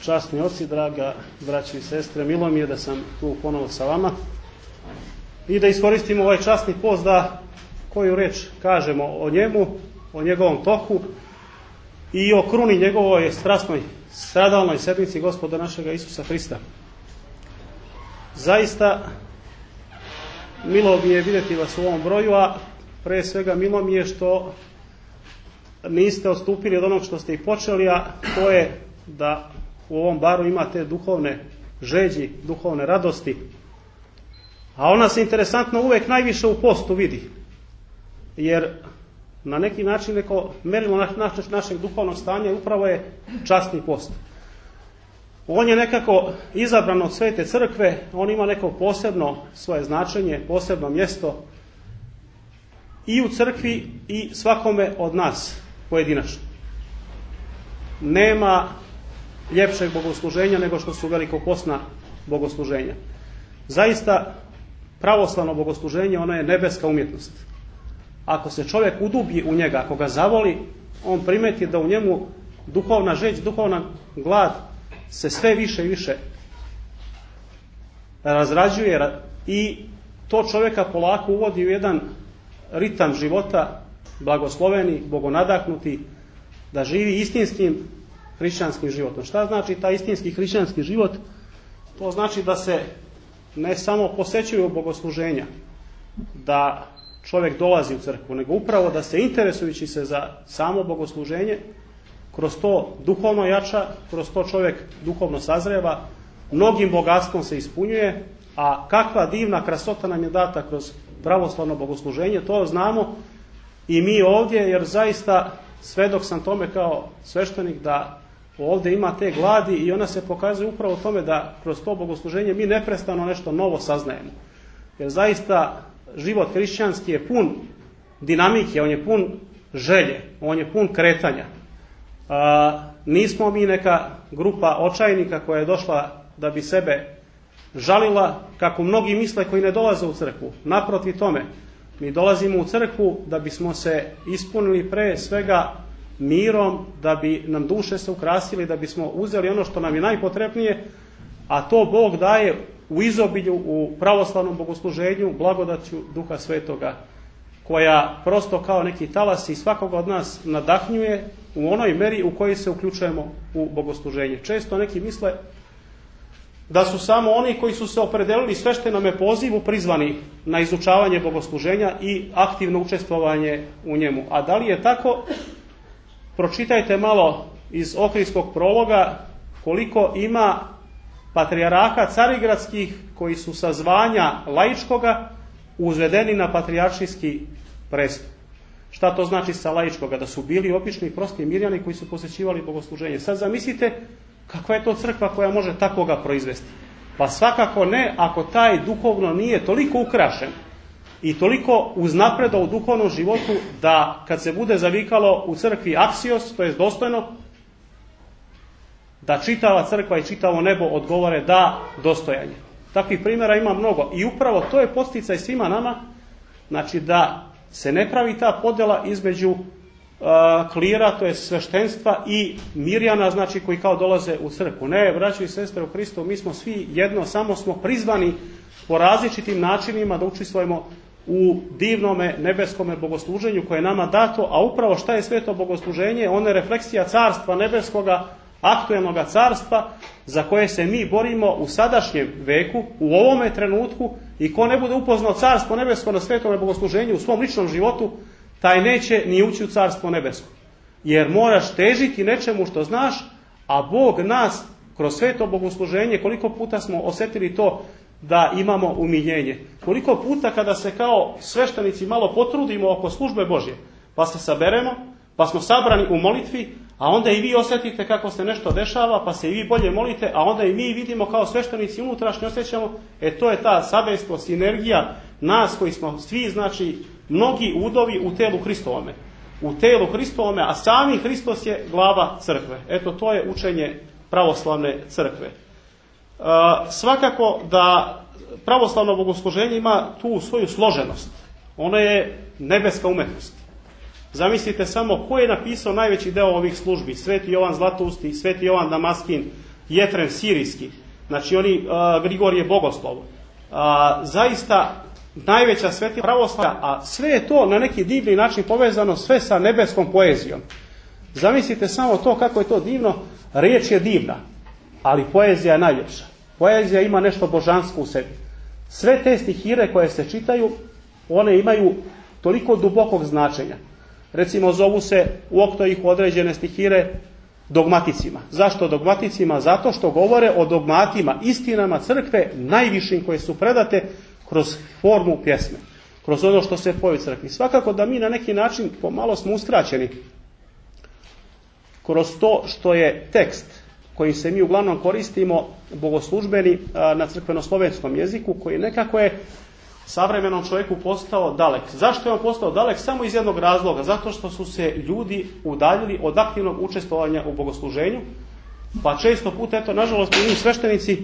časni oci, draga braći i sestre, milo mi je da sam tu ponovo sa vama i da iskoristimo ovaj časni post da koju reč kažemo o njemu, o njegovom toku i o kruni njegovoj strasnoj stradalnoj sedmici Gospoda našega Isusa Hrista. Zaista milo mi je vidjeti vas u ovom broju, a pre svega milo mi je što niste odstupili od onog što ste i počeli, a to je da u ovom baru imate duhovne žeđi, duhovne radosti. A ona se interesantno uvek najviše u postu vidi. Jer na neki način neko merilo našeg duhovnog stanja upravo je časni post. On je nekako izabran od Svete crkve, on ima neko posebno svoje značenje, posebno mjesto i u crkvi i svakome od nas pojedinačno. Nema ljepšeg bogosluženja nego što su velikopostna bogosluženja. Zaista pravoslavno bogosluženje, ono je nebeska umjetnost. Ako se čovjek udubi u njega, ako ga zavoli, on primeti da u njemu duhovna žeđ, duhovna glad se sve više i više razrađuje i to čovjeka polako uvodi u jedan ritam života blagosloveni, bogonadahnuti, da živi istinskim hrišćanskim životom. Šta znači taj istinski hrišćanski život? To znači da se ne samo posećuju bogosluženja, da čovjek dolazi u crkvu, nego upravo da se interesujući se za samo bogosluženje, kroz to duhovno jača, kroz to čovjek duhovno sazreva, mnogim bogatstvom se ispunjuje, a kakva divna krasota nam je data kroz pravoslavno bogosluženje, to znamo i mi ovdje, jer zaista svedok sam tome kao sveštenik da ovdje ima te gladi i ona se pokazuje upravo u tome da kroz to bogosluženje mi neprestano nešto novo saznajemo. Jer zaista život hrišćanski je pun dinamike, on je pun želje, on je pun kretanja. Nismo mi neka grupa očajnika koja je došla da bi sebe žalila, kako mnogi misle koji ne dolaze u crkvu. Naprotiv tome, mi dolazimo u crkvu da bismo se ispunili pre svega mirom, da bi nam duše se ukrasili, da bismo uzeli ono što nam je najpotrebnije, a to Bog daje u izobilju, u pravoslavnom bogosluženju, blagodaću Duha Svetoga, koja prosto kao neki talas i svakoga od nas nadahnjuje u onoj meri u kojoj se uključujemo u bogosluženje. Često neki misle da su samo oni koji su se opredelili sveštenome pozivu prizvani na izučavanje bogosluženja i aktivno učestvovanje u njemu. A da li je tako? Pročitajte malo iz Ohridskog prologa koliko ima patrijaraka carigradskih koji su sa zvanja laičkoga uzvedeni na patrijaršijski prestup. Šta to znači sa laičkoga? Da su bili obični prosti mirjani koji su posjećivali bogosluženje. Sad zamislite kakva je to crkva koja može takoga proizvesti. Pa svakako ne ako taj duhovno nije toliko ukrašen i toliko uznapredao u duhovnom životu da kad se bude zavikalo u crkvi aksios, to je dostojno, da čitava crkva i čitavo nebo odgovore da, dostojanje. Takvih primjera ima mnogo i upravo to je podsticaj svima nama, znači da se ne pravi ta podjela između klira, to je sveštenstva i mirjana, znači koji kao dolaze u crkvu. Ne, braćo i sestre u Hristu, mi smo svi jedno, samo smo prizvani po različitim načinima da učestvujemo u divnome nebeskome bogosluženju koje je nama dato, a upravo šta je sveto bogosluženje? Ono je refleksija carstva nebeskoga, aktuelnoga carstva za koje se mi borimo u sadašnjem veku, u ovome trenutku, i ko ne bude upoznao carstvo nebesko na svetome bogosluženju u svom ličnom životu, taj neće ni ući u carstvo nebesko. Jer moraš težiti nečemu što znaš, a Bog nas kroz sveto bogosluženje, koliko puta smo osjetili to da imamo umiljenje. Koliko puta kada se kao sveštenici malo potrudimo oko službe Božje, pa se saberemo, pa smo sabrani u molitvi, a onda i vi osjetite kako se nešto dešava, pa se i vi bolje molite, a onda i mi vidimo kao sveštenici unutrašnje osjećamo, to je ta sabejstvo, sinergija nas koji smo svi, znači, mnogi udovi u telu Hristovome. U telu Hristovome, a sami Hristos je glava crkve. Eto, to je učenje pravoslavne crkve. Svakako da pravoslavno bogosluženje ima tu svoju složenost. Ono je nebeska umetnost. Zamislite samo ko je napisao najveći deo ovih službi. Sveti Jovan Zlatousti, Sveti Jovan Damaskin, Jetren sirijski, znači oni Grigorije Bogoslov, zaista najveća svetinja pravoslavlja, a sve je to na neki divni način povezano sve sa nebeskom poezijom. Zamislite samo to kako je to divno, riječ je divna, ali poezija je najljepša. Poezija ima nešto božansko u sebi. Sve te stihire koje se čitaju, one imaju toliko dubokog značenja. Recimo zovu se u Oktojih određene stihire dogmaticima. Zašto dogmaticima? Zato što govore o dogmatima, istinama crkve najvišim koje su predate kroz formu pjesme, kroz ono što se poje u crkvi. Svakako da mi na neki način pomalo smo uskraćeni kroz to što je tekst kojim se mi uglavnom koristimo bogoslužbeni na crkvenoslovenskom jeziku, koji nekako je savremenom čovjeku postao dalek. Zašto je on postao dalek? Samo iz jednog razloga. Zato što su se ljudi udaljili od aktivnog učestvovanja u bogosluženju, pa često puta, eto, nažalost, mi sveštenici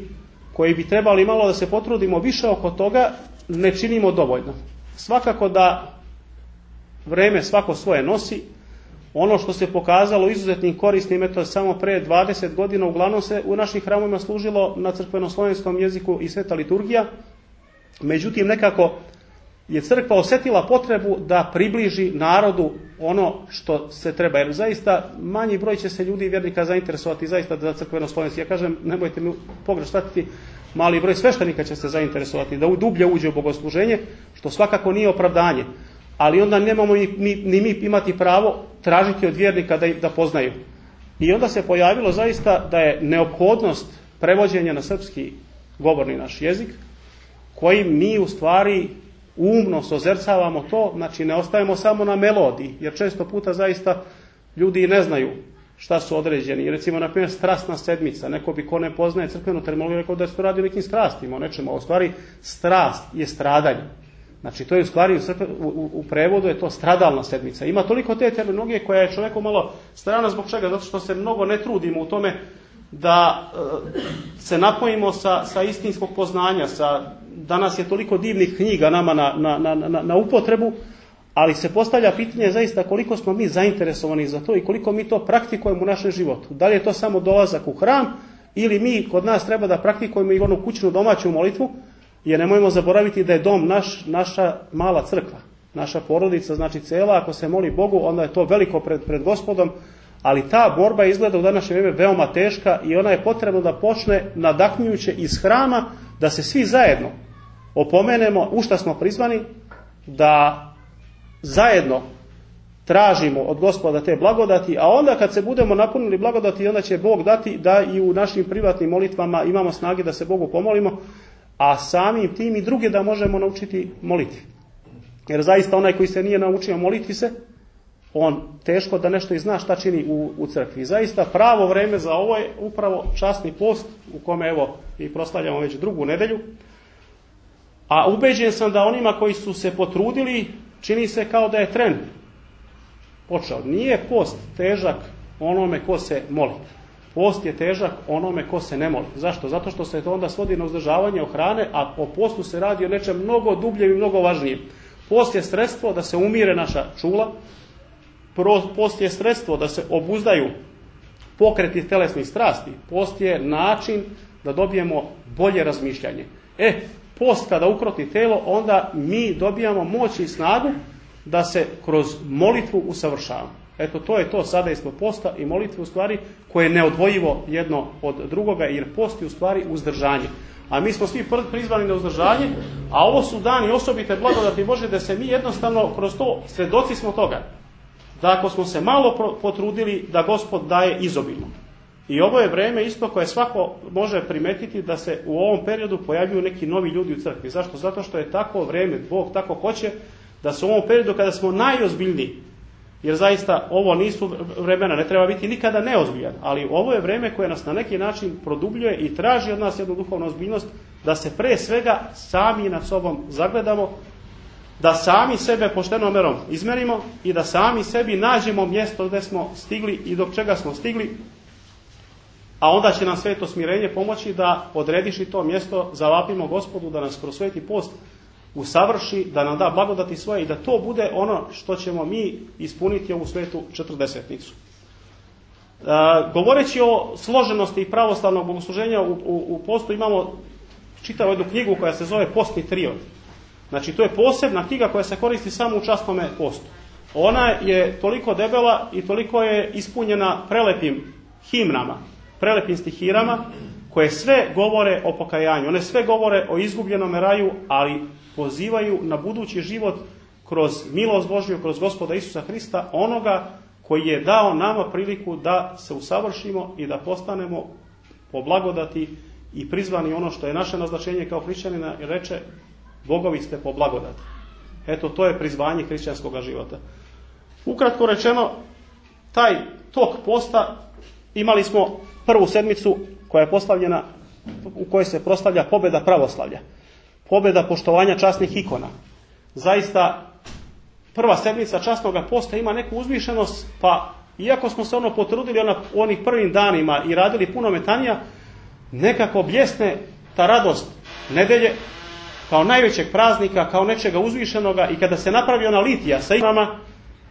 koji bi trebali malo da se potrudimo više oko toga, ne činimo dovoljno. Svakako da vreme svako svoje nosi. Ono što se pokazalo izuzetnim korisnim, eto, samo pre 20 godina uglavnom se u naših hramovima služilo na crkvenoslovenskom jeziku i sveta liturgija. Međutim, nekako je crkva osjetila potrebu da približi narodu ono što se treba. Jer zaista manji broj će se ljudi i vjernika zainteresovati zaista za crkvenoslovenski. Ja kažem, nemojte mi pogrešno shvatiti, mali broj sveštenika će se zainteresovati da dublje uđe u bogosluženje, što svakako nije opravdanje. Ali onda nemamo ni mi imati pravo tražiti od vjernika da poznaju. I onda se pojavilo zaista da je neophodnost prevođenja na srpski govorni naš jezik, kojim mi u stvari umno sozercavamo to, znači ne ostajemo samo na melodiji, jer često puta zaista ljudi ne znaju šta su određeni. Recimo, na primjer, strasna sedmica. Neko bi ko ne poznaje crkvenu terminologiju rekao da se to radi o nekim strastima, o nečemu. A u stvari strast je stradanje. Znači, to je u stvari u prevodu je to stradalna sedmica. Ima toliko te terminologije koja je čovjeku malo strana. Zbog čega? Zato što se mnogo ne trudimo u tome da se napojimo sa istinskog poznanja. Danas je toliko divnih knjiga nama na upotrebu, ali se postavlja pitanje zaista koliko smo mi zainteresovani za to i koliko mi to praktikujemo u našem životu. Da li je to samo dolazak u hram ili mi kod nas treba da praktikujemo i onu kućnu domaću molitvu, jer nemojmo zaboraviti da je dom naša mala crkva, naša porodica, znači cela, ako se moli Bogu, onda je to veliko pred Gospodom, ali ta borba izgleda u današnje vrijeme veoma teška i ona je potrebna da počne nadahnjujuće iz hrama, da se svi zajedno opomenemo u šta smo prizvani, da zajedno tražimo od Gospoda te blagodati, a onda kad se budemo napunili blagodati, onda će Bog dati da i u našim privatnim molitvama imamo snage da se Bogu pomolimo, a samim tim i druge da možemo naučiti moliti. Jer zaista onaj koji se nije naučio moliti se, on teško da nešto i zna šta čini u crkvi. Zaista pravo vreme za ovo je upravo časni post, u kome evo i proslavljamo već drugu nedelju. A ubeđen sam da onima koji su se potrudili, čini se kao da je tren počeo. Nije post težak onome ko se moli. Post je težak onome ko se ne moli. Zašto? Zato što se to onda svodi na uzdržavanje hrane, a o postu se radi o nečem mnogo dubljem i mnogo važnijem. Post je sredstvo da se umire naša čula. Post je sredstvo da se obuzdaju pokreti telesnih strasti. Post je način da dobijemo bolje razmišljanje. Post kada ukroti telo, onda mi dobijamo moć i snagu da se kroz molitvu usavršavamo. Eto, to je to sadejstvo posta i molitve u stvari koje je neodvojivo jedno od drugoga, jer post je u stvari uzdržanje. A mi smo svi prizvani na uzdržanje, a ovo su dani osobite blagodati Bože, da se mi jednostavno kroz to svedoci smo toga. Da ako smo se malo potrudili, da Gospod daje izobilno. I ovo je vreme isto koje svako može primetiti da se u ovom periodu pojavljuju neki novi ljudi u crkvi. Zašto? Zato što je tako vreme, Bog tako hoće, da se u ovom periodu kada smo najozbiljniji, jer zaista ovo nisu vremena, ne treba biti nikada neozbiljan, ali ovo je vreme koje nas na neki način produbljuje i traži od nas jednu duhovnu ozbiljnost, da se pre svega sami nad sobom zagledamo, da sami sebe poštenom merom izmerimo i da sami sebi nađemo mjesto gdje smo stigli i do čega smo stigli, a onda će nam sveto smirenje pomoći da odrediši to mjesto, zavapimo Gospodu da nas kroz sveti post usavrši, da nam da blagodati svoje i da to bude ono što ćemo mi ispuniti ovu svetu četrdesetnicu. Govoreći o složenosti pravoslavnog bogosluženja u postu, imamo čitavu jednu knjigu koja se zove Postni triod. Znači, to je posebna knjiga koja se koristi samo u časnome postu. Ona je toliko debela i toliko je ispunjena prelepim himnama, prelepim stihirama, koje sve govore o pokajanju. One sve govore o izgubljenom raju, ali pozivaju na budući život kroz milost Božju, kroz Gospoda Isusa Hrista, onoga koji je dao nama priliku da se usavršimo i da postanemo po blagodati i prizvani ono što je naše naznačenje kao hrišćanina, i reče: Bogovi ste po blagodati. Eto, to je prizvanje hrišćanskog života. Ukratko rečeno, taj tok posta, imali smo prvu sedmicu koja je postavljena, u kojoj se proslavlja pobjeda pravoslavlja, pobjeda poštovanja časnih ikona. Zaista, prva sedmica časnog posta ima neku uzvišenost, pa iako smo se potrudili u onih prvim danima i radili puno metanija, nekako bljesne ta radost nedelje kao najvećeg praznika, kao nečega uzvišenoga, i kada se napravi ona litija sa ikonama,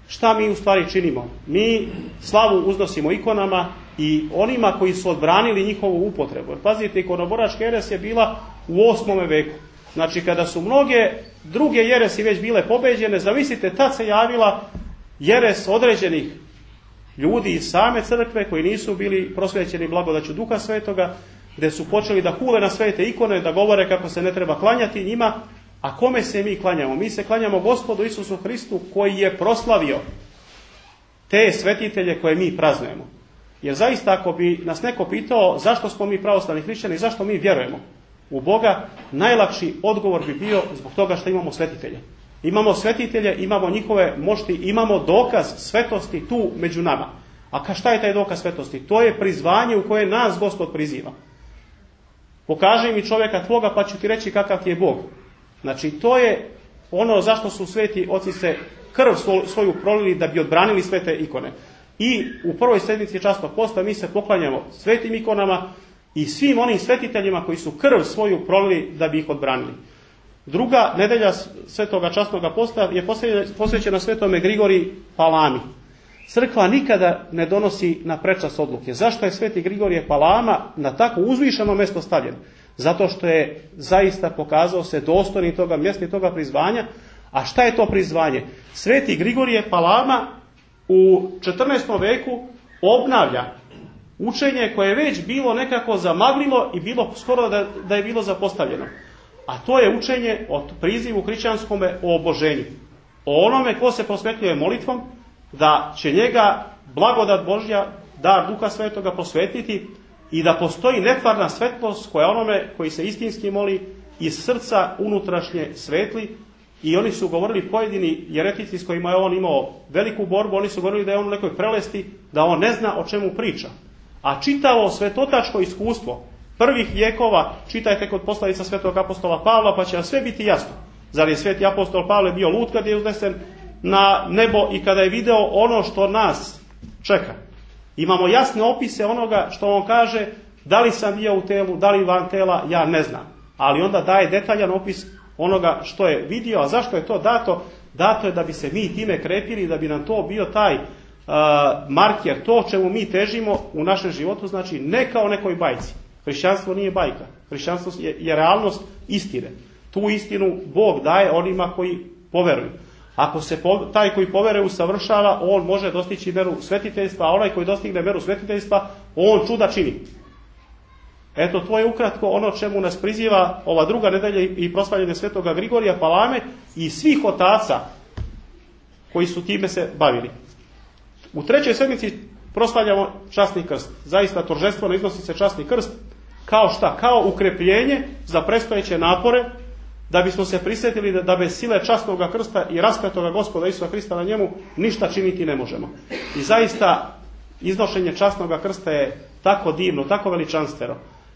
šta mi u stvari činimo? Mi slavu uznosimo ikonama i onima koji su odbranili njihovu upotrebu. Pazite, ikonoboračka jeres je bila u 8. veku. Znači, kada su mnoge druge jeresi već bile pobeđene, zamislite, tad se javila jeres određenih ljudi iz same crkve koji nisu bili prosvećeni blagodaću Duha Svetoga, gdje su počeli da hule na svete ikone, da govore kako se ne treba klanjati njima. A kome se mi klanjamo? Mi se klanjamo Gospodu Isusu Hristu, koji je proslavio te svetitelje koje mi praznujemo. Jer zaista, ako bi nas neko pitao zašto smo mi pravoslavni hrišćani, zašto mi vjerujemo u Boga, najlakši odgovor bi bio zbog toga što imamo svetitelje. Imamo svetitelje, imamo njihove mošti, imamo dokaz svetosti tu među nama. A šta je taj dokaz svetosti? To je prizvanje u koje nas Gospod priziva. Pokaži mi čovjeka tvoga, pa ću ti reći kakav ti je Bog. Znači, to je ono zašto su sveti oci se krv svoju prolili da bi odbranili svete ikone. I u prvoj sedmici časnog posta mi se poklanjamo svetim ikonama i svim onim svetiteljima koji su krv svoju prolili da bi ih odbranili. Druga nedelja svetoga časnog posta je posvećena svetome Grigoriji Palami. Crkva nikada ne donosi na prečas odluke. Zašto je sveti Grigorije Palama na tako uzvišeno mjesto stavljen? Zato što je zaista pokazao se dostojnim toga mjesta i toga prizvanja. A šta je to prizvanje? Sveti Grigorije Palama u 14. veku obnavlja učenje koje je već bilo nekako zamaglilo i bilo skoro da je bilo zapostavljeno. A to je učenje o prizivu hrišćanskome o oboženju. O onome ko se posvetljuje molitvom, da će njega blagodat Božja, dar Duha Svetoga posvetiti i da postoji netvarna svetlost koja onome koji se istinski moli iz srca unutrašnje svetli. I oni su govorili, pojedini jeretici s kojima je on imao veliku borbu, oni su govorili da je on u nekoj prelesti, da on ne zna o čemu priča. A čitavo svetotačko iskustvo prvih vjekova, čitajte kod poslavica svetog apostola Pavla, pa će vam sve biti jasno. Zar je sveti apostol Pavle bio lud kad je uznesen na nebo i kada je video ono što nas čeka? Imamo jasne opise onoga što on kaže, da li sam bio u telu, da li van tela, ja ne znam. Ali onda daje detaljan opis onoga što je vidio. A zašto je to dato? Dato je da bi se mi time krepili, da bi nam to bio taj marker, to čemu mi težimo u našem životu, znači ne kao nekoj bajci. Hrišćanstvo nije bajka. Hrišćanstvo je realnost istine. Tu istinu Bog daje onima koji poveruju. Ako se taj koji poveruje usavršava, on može dostići meru svetiteljstva, a onaj koji dostigne meru svetiteljstva, on čuda čini. Eto, to je ukratko ono čemu nas priziva ova druga nedelja i proslavljanje svetoga Grigorija Palame i svih otaca koji su time se bavili. U trećoj sedmici proslavljamo časni krst. Zaista торжествено iznosi se časni krst kao šta? Kao ukrepljenje za predstojeće napore, da bismo se prisjetili da bez sile časnog krsta i raspetoga Gospoda Isusa Hrista na njemu ništa činiti ne možemo. I zaista iznošenje časnog krsta je tako divno, tako veličanstveno.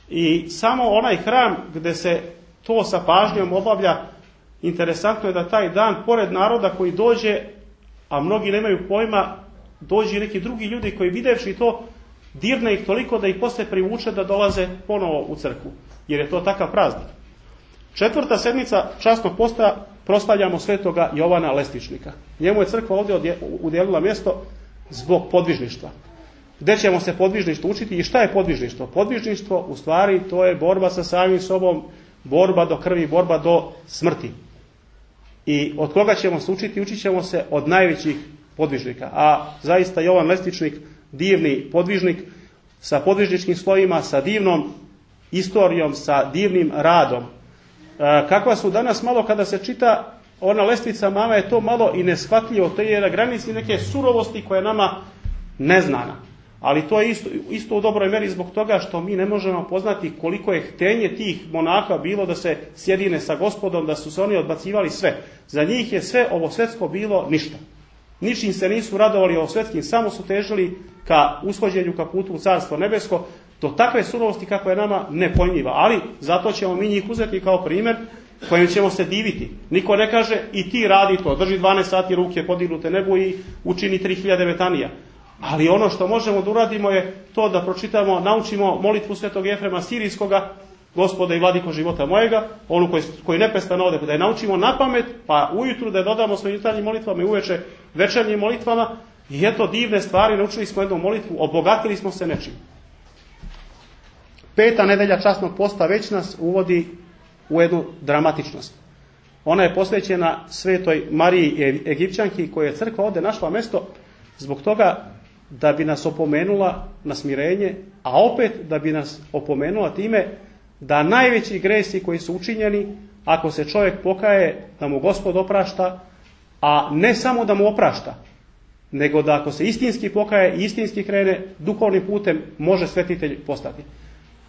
I samo onaj hram gdje se to sa pažnjom obavlja, interesantno je da taj dan, pored naroda koji dođe, a mnogi nemaju pojma, dođe neki drugi ljudi koji videvši to, dirne ih toliko da ih poslije privuče da dolaze ponovo u crkvu. Jer je to takav praznik. Četvrta sedmica časnog posta proslavljamo svetoga Jovana Lestičnika. Njemu je crkva ovdje udjelila mjesto zbog podvižništva. gdje ćemo se podvižništvo učiti i šta je podvižništvo? Podvižništvo u stvari to je borba sa samim sobom, borba do krvi, borba do smrti. I od koga ćemo se učiti? Učit ćemo se od najvećih podvižnika. A zaista Jovan Lestičnik, divni podvižnik, sa podvižničkim slovima, sa divnom istorijom, sa divnim radom. Kakva su danas malo kada se čita ona lestvica mama je to malo i neshvatljivo, to je na granici neke surovosti koja je nama neznana. Ali to je isto u dobroj meri zbog toga što mi ne možemo poznati koliko je htenje tih monaha bilo da se sjedine sa Gospodom, da su se oni odbacivali sve. Za njih je sve ovo svetsko bilo ništa. Ničim se nisu radovali ovo svetskim, samo su težili ka ushođenju, ka putu u Carstvo nebesko, do takve surovosti kako je nama nepojmljiva. Ali zato ćemo mi njih uzeti kao primjer kojim ćemo se diviti. Niko ne kaže i ti radi to, drži 12 sati ruke podignute nebu i učini 3000 metanija. Ali ono što možemo da uradimo je to da pročitamo, naučimo molitvu svetog Jefrema Sirijskoga, Gospode i vladiko života mojega, onu koji neprestano ode, da je naučimo na pamet, pa ujutru da je dodamo svojim jutarnjim molitvama i uveče večernjim molitvama. I eto divne stvari, naučili smo jednu molitvu, obogatili smo se nečim. 5. nedelja časnog posta već nas uvodi u jednu dramatičnost. Ona je posvećena svetoj Mariji Egipćanki, koja je crkva ovdje našla mjesto zbog toga da bi nas opomenula na smirenje, a opet da bi nas opomenula time da najveći gresi koji su učinjeni, ako se čovjek pokaje, da mu Gospod oprašta, a ne samo da mu oprašta, nego da ako se istinski pokaje i istinski krene duhovnim putem, može svetitelj postati.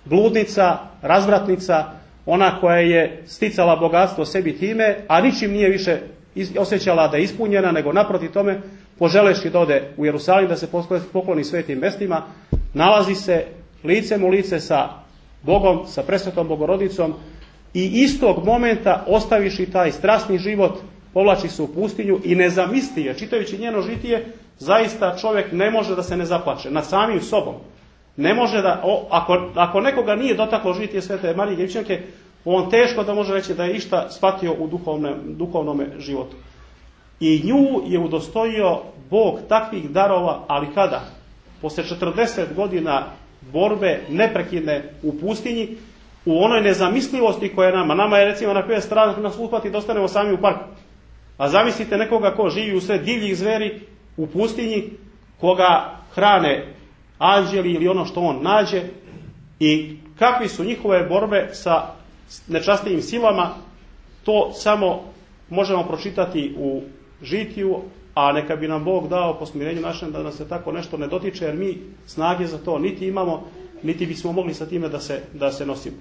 Bludnica, razvratnica, ona koja je sticala bogatstvo sebi time, a ničim nije više osjećala da je ispunjena, nego naprotiv tome, poželeći da ode u Jerusalim, da se pokloni svetim mjestima, nalazi se licem u lice sa Bogom, sa presvetom Bogorodicom i istog momenta, ostaviši taj strasni život, povlači se u pustinju i nezamisli je, čitajući njeno žitije, zaista čovjek ne može da se ne zaplače nad samim sobom. Ne može da, ako nekoga nije dotaklo žitije svete Marije Egipćanke, on teško da može reći da je išta shvatio u duhovnom životu. I nju je udostojio Bog takvih darova, ali kada? Posle 40 godina borbe neprekidne u pustinji, u onoj nezamislivosti koja je nama je recimo na primjer strah nas uhvati da ostanemo sami u parku. A zamislite nekoga ko živi u sred divljih zveri u pustinji, koga hrane anđeli ili ono što on nađe, i kakvi su njihove borbe sa nečastivim silama, to samo možemo pročitati u žitiju, a neka bi nam Bog dao po smirenju našem da nas se tako nešto ne dotiče, jer mi snage za to niti imamo, niti bismo mogli sa time da se nosimo.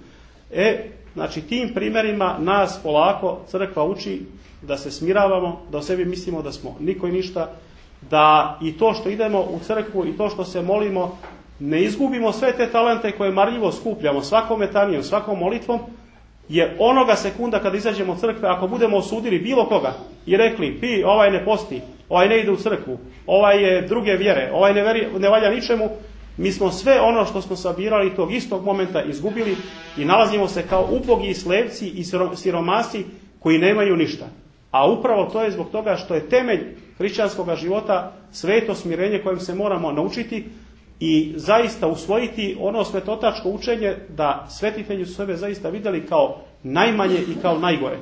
Znači tim primjerima nas polako crkva uči da se smiravamo, da o sebi mislimo da smo niko i ništa, da i to što idemo u crkvu i to što se molimo, ne izgubimo sve te talente koje marljivo skupljamo svakom metanijom, svakom molitvom, je onoga sekunda kada izađemo od crkve, ako budemo osudili bilo koga i rekli, ovaj ne posti, ovaj ne ide u crkvu, ovaj je druge vjere, ovaj ne valja ničemu, mi smo sve ono što smo sabirali tog istog momenta izgubili i nalazimo se kao ubogi slevci i siromasi koji nemaju ništa. A upravo to je zbog toga što je temelj hrišćanskog života sveto smirenje kojem se moramo naučiti i zaista usvojiti ono svetotačko učenje da svetitelji su sebe zaista vidjeli kao najmanje i kao najgore.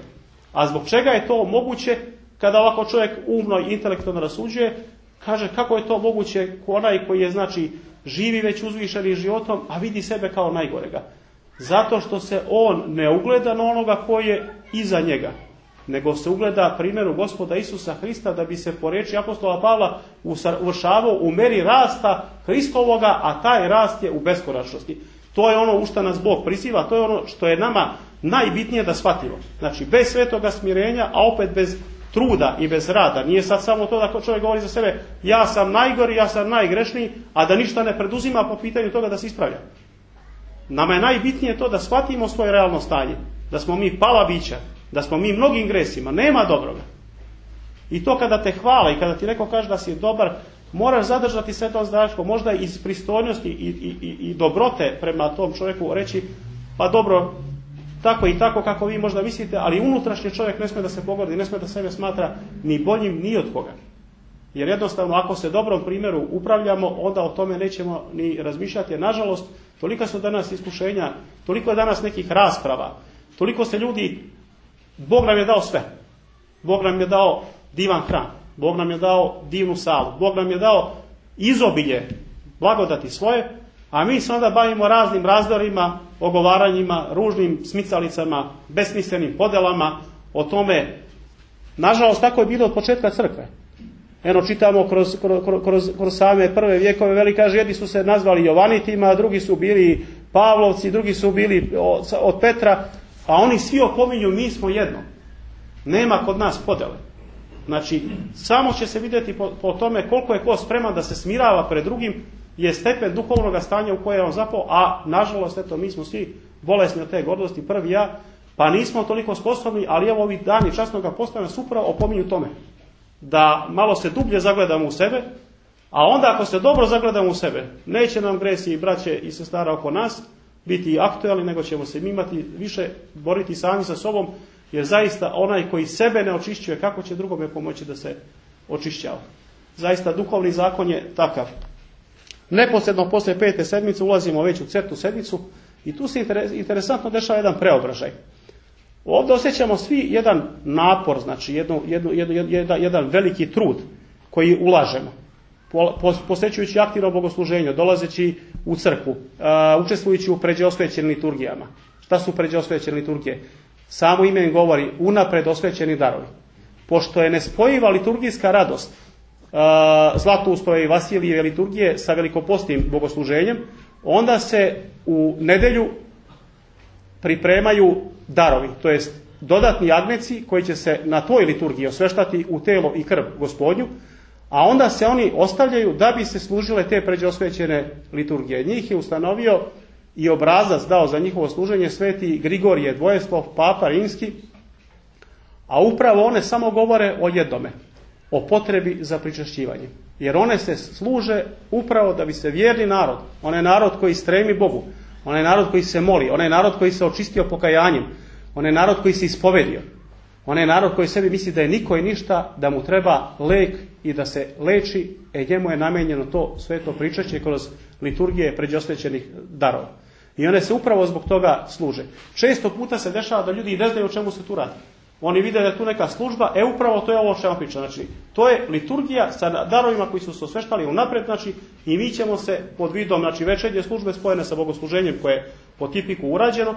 A zbog čega je to moguće kada ovako čovjek umno i intelektualno rasuđuje, kaže kako je to moguće onaj koji je znači živi već uzvišenim životom, a vidi sebe kao najgorega. Zato što se on ne ugleda na onoga koji je iza njega, nego se ugleda primjeru Gospoda Isusa Hrista da bi se po riječi apostola Pavla uvršavao u meri rasta Hristovoga, a taj rast je u beskonačnosti. To je ono u što nas Bog priziva, to je ono što je nama najbitnije da shvatimo. Znači bez svetoga smirenja, a opet bez truda i bez rada. Nije sad samo to da čovjek govori za sebe, ja sam najgori, ja sam najgrešniji, a da ništa ne preduzima po pitanju toga da se ispravlja. Nama je najbitnije to da shvatimo svoje realno stanje, da smo mi pala bića, da smo mi mnogim gresima, nema dobroga. I to kada te hvala i kada ti neko kaže da si dobar, moraš zadržati sve to zdračko, možda iz pristojnosti i dobrote prema tom čovjeku reći, pa dobro, tako i tako kako vi možda mislite, ali unutrašnji čovjek ne smije da se pogodi, ne smije da sebe smatra ni boljim ni od koga. Jer jednostavno ako se dobrom primjeru upravljamo, onda o tome nećemo ni razmišljati. Jer nažalost, toliko su danas iskušenja, toliko je danas nekih rasprava, toliko se ljudi, Bog nam je dao sve. Bog nam je dao divan hram, Bog nam je dao divnu salu, Bog nam je dao izobilje blagodati svoje, a mi se onda bavimo raznim razdorima, ogovaranjima, ružnim smicalicama, besmislenim podelama o tome. Nažalost, tako je bilo od početka crkve. Eno, čitamo kroz same prve vjekove, veli kaže, jedni su se nazvali Jovanitima, drugi su bili Pavlovci, drugi su bili od Petra, a oni svi opominju, mi smo jedno. Nema kod nas podele. Znači, samo će se vidjeti po tome koliko je ko spreman da se smirava pred drugim, je stepen duhovnog stanja u koje je on zapao, a nažalost, eto, mi smo svi bolesni od te gordosti, prvi ja, pa nismo toliko sposobni, ali evo ovi dani časnoga posta nas upravo opominju tome. Da malo se dublje zagledamo u sebe, a onda ako se dobro zagledamo u sebe, neće nam gresi i braće i sestara oko nas biti aktualni, nego ćemo se imati više boriti sami sa sobom, jer zaista onaj koji sebe ne očišćuje, kako će drugome pomoći da se očišćava. Zaista duhovni zakon je takav. Neposredno poslije 5. sedmice ulazimo već u cetu sedmicu i tu se interesantno dešava jedan preobražaj. Ovdje osjećamo svi jedan napor, znači jedan veliki trud koji ulažemo, posvećujući aktivno bogosluženje, dolazeći u crkvu, učestvujući u pređeosvećenim liturgijama. Šta su pređeosvećene liturgije? Samo ime im govori unapred osvećeni darovi. Pošto je nespojiva liturgijska radost Zlatouspove i Vasilijeve liturgije sa velikopostnim bogosluženjem, onda se u nedjelju pripremaju darovi, to jest dodatni agneci koji će se na toj liturgiji osveštati u telo i krv Gospodnju, a onda se oni ostavljaju da bi se služile te pređeosvećene liturgije. Njih je ustanovio i obrazac dao za njihovo služenje sveti Grigorije Dvojeslov, papa rimski, a upravo one samo govore o jednome, o potrebi za pričašćivanje. Jer one se služe upravo da bi se vjerni narod, onaj narod koji stremi Bogu, onaj narod koji se moli, onaj narod koji se očistio pokajanjem, onaj narod koji se ispovedio, onaj narod koji sebi misli da je niko i ništa, da mu treba lek i da se leči, njemu je namijenjeno to sveto pričašće kroz liturgije pređosvećenih darova. I one se upravo zbog toga služe. Često puta se dešava da ljudi ne znaju o čemu se tu radi. Oni vide da je tu neka služba, upravo to je ovo što vam pričam. Znači, to je liturgija sa darovima koji su se osveštali unaprijed, znači, i mi ćemo se pod vidom, znači, večernje službe spojene sa bogosluženjem koje je po tipiku urađeno,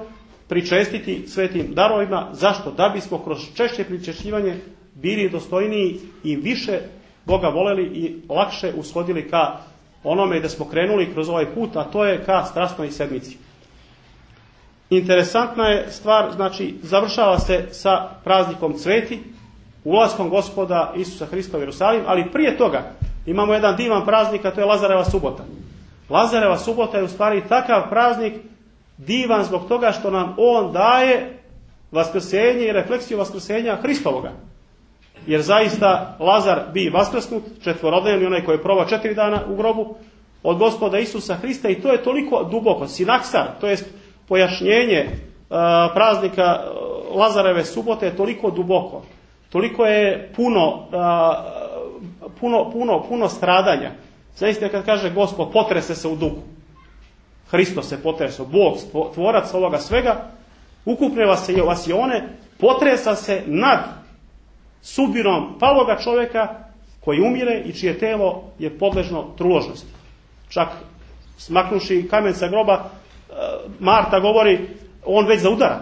pričestiti svetim darovima. Zašto? Da bismo kroz češće pričešćivanje bili dostojniji i više Boga voleli i lakše ushodili ka onome da smo krenuli kroz ovaj put, a to je ka strasnoj sedmici. Interesantna je stvar, znači, završava se sa praznikom Cveti, ulaskom Gospoda Isusa Hrista u Jerusalim, ali prije toga imamo jedan divan praznik, a to je Lazareva subota. Lazareva subota je u stvari takav praznik divan zbog toga što nam on daje vaskrsenje i refleksiju vaskrsenja Hristovoga. Jer zaista Lazar bi vaskrsnut, četvorodnevni, onaj koji je provao 4 dana u grobu, od Gospoda Isusa Hrista, i to je toliko duboko. Sinaksar, to jest pojašnjenje praznika Lazareve subote je toliko duboko. Toliko je puno stradanja. Zaista kad kaže Gospod, potrese se u duhu. Hristos se potresao, Bog, tvorac ovoga svega, ukupne vasione, potresa se nad sudbinom paloga čovjeka koji umire i čije telo je podležno truložnosti. Čak smaknuši kamen sa groba, Marta govori, on već zaudara.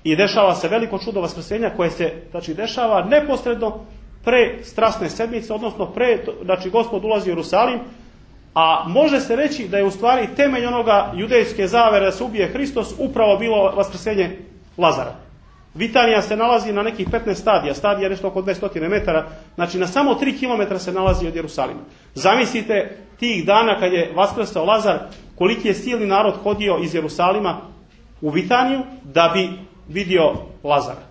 I dešava se veliko čudo vaskrsenja koje se, znači, dešava neposredno pre strasne sedmice, odnosno znači, Gospod ulazi u Jerusalim, a može se reći da je u stvari temelj onoga judejske zavere da se ubije Hristos upravo bilo vaskrsenje Lazara. Vitanija se nalazi na nekih 15 stadija, stadija nešto oko 200 metara, znači na samo 3 km se nalazi od Jerusalima. Zamislite tih dana kad je vaskrsao Lazar, koliki je silni narod hodio iz Jerusalima u Vitaniju da bi vidio Lazara.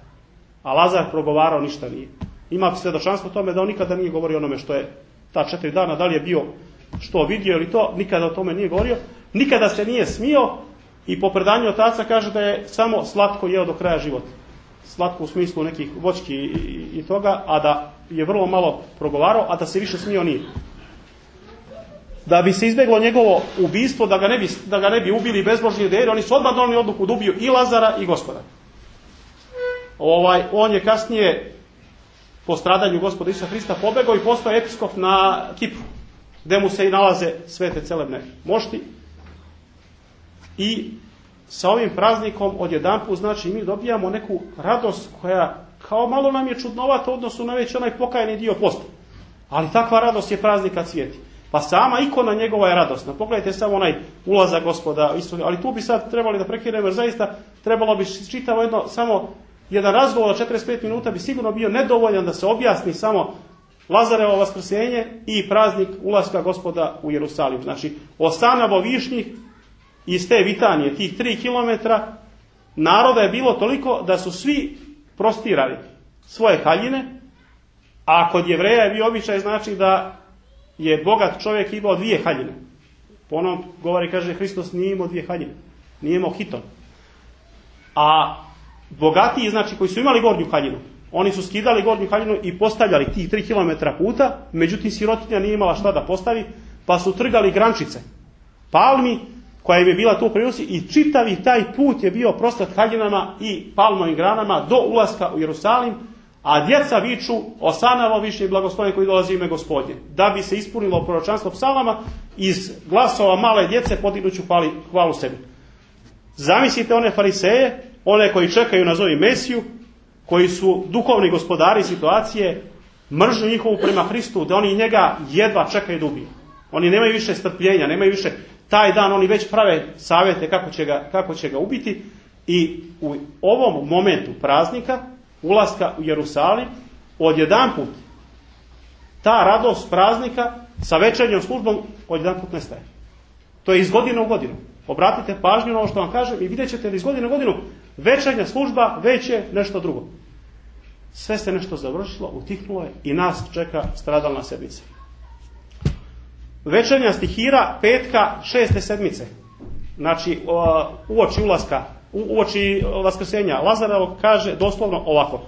A Lazar progovarao ništa nije. Ima svjedočanstvo tome da on nikada nije govorio onome što je ta 4 dana, da li je bio što vidio ili to, nikada o tome nije govorio, nikada se nije smio i po predanju otaca kaže da je samo slatko jeo do kraja života. slatko u smislu nekih voćki i toga, a da je vrlo malo progovarao, a da se više smio nije. Da bi se izbjeglo njegovo ubistvo, da ga ne bi ubili bezbožni juderi, oni su odmah donijeli odluku da ubiju i Lazara i Gospoda. On je kasnije po stradanju Gospoda Isusa Hrista pobegao i postao episkop na Kipru, gdje mu se i nalaze svete celebne mošti. I sa ovim praznikom odjedanput, znači, mi dobijamo neku radost koja kao malo nam je čudnovata u odnosu na već onaj pokajni dio posta. Ali takva radost je praznika cvijeti. Pa sama ikona njegova je radosna. Pogledajte samo onaj ulazak Gospoda Isusa. Ali tu bi sad trebali da prekinemo, jer zaista trebalo bi čitavo samo jedan razgovor od 45 minuta bi sigurno bio nedovoljan da se objasni samo Lazarevo vaskrsenje i praznik ulaska Gospoda u Jerusalim. Znači, Osanavo višnjih iz te Vitanije, tih 3 kilometra, naroda je bilo toliko da su svi prostirali svoje haljine, a kod Jevreja je bio običaj, znači, da je bogat čovjek imao 2 haljine. Po onom govori, kaže, Hristos nije imao 2 haljine, nije imao hiton. A bogatiji, znači, koji su imali gornju haljinu, oni su skidali gornju haljinu i postavljali tih 3 kilometra puta, međutim sirotinja nije imala šta da postavi, pa su trgali grančice palmi, koja im je bila tu u prinosi, i čitavi taj put je bio prostat haljinama i palmovim granama do ulaska u Jerusalim, a djeca viču Osanavo višnji blagosloven koji dolazi u ime Gospodnje. Da bi se ispunilo proročanstvo psalama, iz glasova male djece podignuću hvalu sebi. Zamislite one fariseje, one koji čekaju nazovi Mesiju, koji su duhovni gospodari situacije, mržnju njihovu prema Hristu, da oni njega jedva čekaju da ubiju. Oni nemaju više strpljenja, nemaju više taj dan, oni već prave savjete kako će ga ubiti. I u ovom momentu praznika, ulaska u Jerusalim, odjedanput ta radost praznika sa večernjom službom odjedanput nestaje. To je iz godine u godinu. Obratite pažnju na ovo što vam kažem i vidjet ćete da iz godine u godinu večernja služba već je nešto drugo. Sve se nešto završilo, utihnulo je i nas čeka stradalna sedmica. Večernja stihira petka 6. sedmice. Znači, uoči vaskrsenja Lazarevo kaže doslovno ovako: